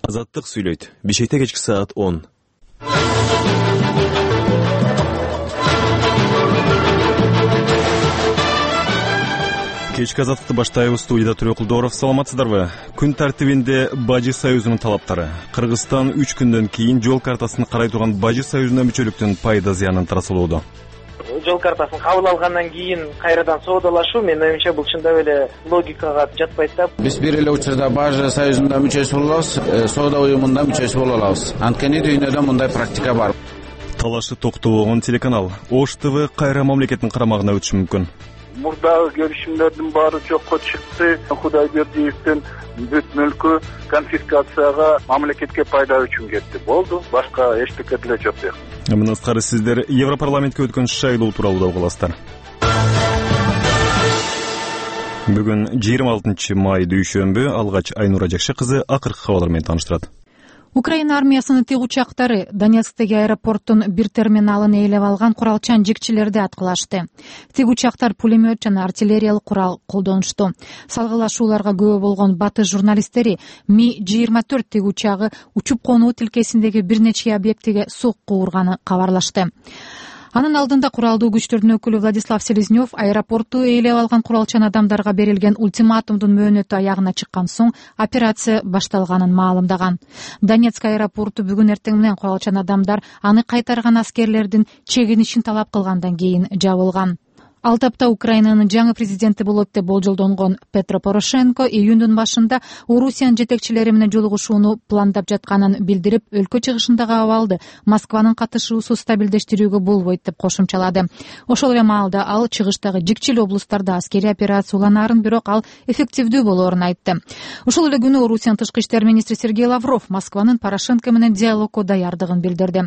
Азаттык сүйлөйт. Бишкекте кечки саат 10. Кечки азаттыкты баштайбыз. Студияда Төрөкулдоров. Саламатсыздарбы? Күн тартибинде Бажы союзунун талаптары. Кыргызстан 3 күндөн кийин жол картасын карай турган Бажы союзуна мүчөлүктүн пайда зыянын тарасылууда. Жол картасын кабыл алгандан кийин кайрадан соодалашуу менин оюмча бул чындап эле логикага жатпайт да. Биз бир эле учурда Бажы союзунда мүчөсү боло алабыз, соода уюмунда мүчөсү боло алабыз. Анткени дүйнөдө мындай практика бар. Талашы токтобогон телеканал. Ош ТВ кайра мамлекеттин карамагына өтүшү мүмкүн. Мурдагы келишимдердин баары жокко чыкты. Кудайбердиевдин бүт мүлкү конфискацияга, мамлекетке пайда үчүн кетти. Болду. Башка эчтеке деле жок. Мындан тышкары сиздер Европарламентке өткөн шайлоо тууралуу да угуласыздар. Бүгүн 26 май дүйшөмбү. Алгач Айнура Жакшы кызы акыркы кабарлар менен тааныштырат. Украина армиясынын тиг учактары Донецктеги аэропорттун бир терминалын ээлеп алган куралчан жикчилерди аткылашты. Тиг учактар пулемет жана артиллериялык курал колдонушту. Салгылашууларга күбө болгон батыш журналисттери Ми-24 тиг учагы учуп конуу тилкесиндеги бир нече объектиге сокку урганы кабарлашты. Анын алдында куралдуу күчтөрдүн өкүлү Владислав Селезнёв аэропортту ээлеп алган куралчан адамдарга берилген ультиматумдун мөөнөтү аягына чыккан соң операция башталганын маалымдаган. Донецк аэропорту бүгүн эртең менен куралчан адамдар аны кайтарган аскерлердин чегинишин талап кылгандан кийин жабылган. Ал тапта Украинанын жаңы президенти болот деп болжолдонгон Петро Порошенко июндун башында Орусиянын жетекчилери менен жолугушууну пландап жатканын билдирип, өлкө чыгышындагы абалды Москванын катышуусу стабилдештирүүгө болбойт деп кошумчалады. Ошол эле маалда ал чыгыштагы жикчил облустарда аскерий операция уланаарын, бирок ал эффективдүү болоорун айтты. Ошол эле күнү Орусиянын тышкы иштер министри Сергей Лавров Москванын Порошенко менен диалогко даярдыгын билдирди.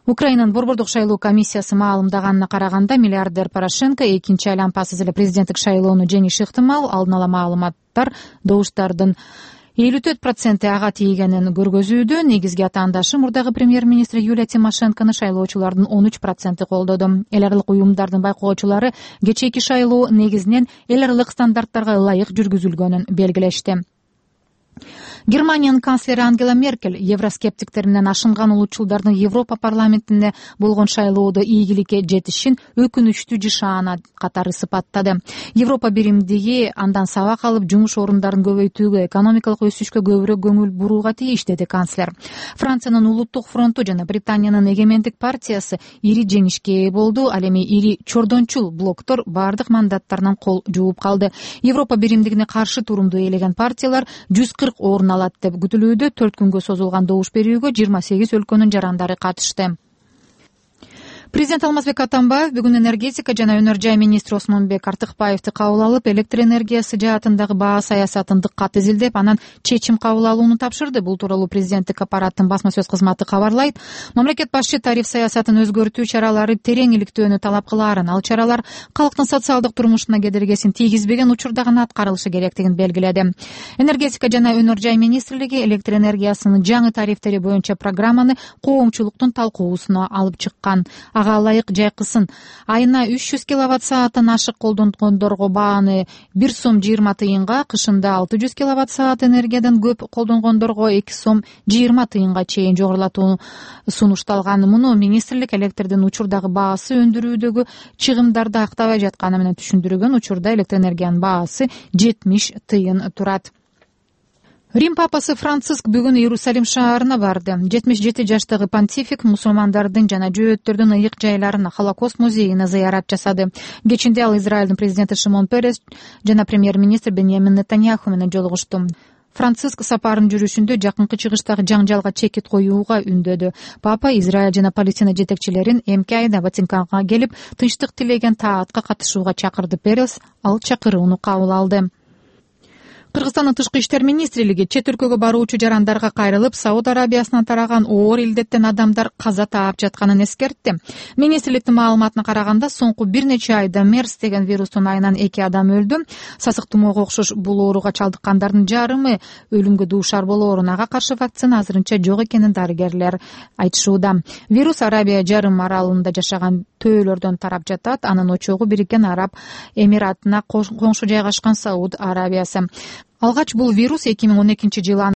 Украинанын борбордук шайлоо комиссиясы маалымдаганына караганда, миллиардер Порошенко экинчи айланпасыз эле президенттик шайлоону жеңиши ыктымал. Алдын ала маалыматтар добуштардын 54% ага тийгенин көргөзүүдө. Негизги атаандашы мурдагы премьер-министр Юлия Тимошенкону шайлоочулардын 13% колдоду. Эл аралык уюмдардын байкоочулары кечээки шайлоо негизинен эл аралык стандарттарга ылайык жүргүзүлгөнүн белгилешти. Германиянын канцлери Ангела Меркель евроскептиктер менен ашынган улутчулдардын Европа парламентине болгон шайлоодо ийгиликке жетишин өкүнүчтүү жышаана катары сыпаттады. Европа биримдиги андан сабак алып, жумуш орундарын көбөйтүүгө, экономикалык өсүшкө көбүрөөк көңүл бурууга тийиш, деди канцлер. Франциянын Улуттук фронту жана Британиянын Эгемендик партиясы ири жеңишке ээ болду. Ал эми ири чордончул блоктор бардык мандаттарынан кол жууп калды. Европа биримдигине каршы турумду ээлеген партиялар 140 орун алат деп күтүлүүдө. 4 күнгө созулган добуш берүүгө 28 өлкөнүн жарандары катышты. Президент Алмазбек Атамбаев бүгүн энергетика жана өнөр жай министри Осмонбек Артыкбаевди кабыл алып, электр энергиясы жаатындагы баа саясатын дыккат изилдеп, анан чечим кабыл алууну тапшырды. Бул тууралуу президенттик аппараттын басма сөз кызматы кабарлайт. Мамлекет башчы тариф саясатын өзгөртүү чаралары терең иликтөөнү талап кылаарын, ал чаралар калктын социалдык турмушуна кедергисин тийгизбеген учурда гана аткарылышы керектигин белгиледи. Энергетика жана өнөр жай министрлиги электр энергиясынын жаңы тарифтери боюнча программаны коомчулуктун талкуусуна алып чыккан. Ага ылайык жайкысын айына 300 киловатт-сааттан ашык колдонгондорго бааны 1 сом 20 тыйынга, кышында 600 киловатт-саат энергиядан көп колдонгондорго 2 сом 20 тыйынга чейин жогорулатуу сунушталган. Муну министрлик электрдин учурдагы баасы өндүрүүдөгү чыгымдарды актабай жатканы менен түшүндүргөн. Учурда электр энергиянын баасы 70 тыйын турат. Рим папасы Франциск бүгүн Иерусалим шаарына барды. 77 жаштагы понтифик мусулмандардын жана жөөттөрдүн ыйык жайларына, Холокост музейине зыярат жасады. Кечинде ал Израилдин президенти Шимон Перес жана премьер-министр Беньямин Нетаньяху менен жолугушту. Франциск сапарынын жүрүшүндө жакынкы чыгыштагы жаңжалга чекит коюуга үндөдү. Папа Израиль жана Палестина жетекчилерин эмки айда Ватиканга келип, тынчтык тилеген таатка катышууга чакырды. Перес ал чакырууну кабыл алды. Кыргызстандын тышкы иштер министрлиги чет өлкөгө баруучу жарандарга кайрылып, Сауд Арабиясынан тараган оор илдеттен адамдар каза таап жатканын эскертти. Министрликтин маалыматына караганда, соңку бир нече айда MERS деген вирустун айынан 2 адам өлдү. Сасык тумоого окшош бул ооруга чалдыккандардын жарымы өлүмгө дуушар болоорун, ага каршы вакцина азырынча жок экенин дарыгерлер айтышууда. Вирус Арабия жарым аралында жашаган төөлөрдөн тарап жатат. Анын очогу Бириккен Араб Эмиратына коңшу жайгашкан Сауд Арабиясы. Алгач бул вирус 2012 жылы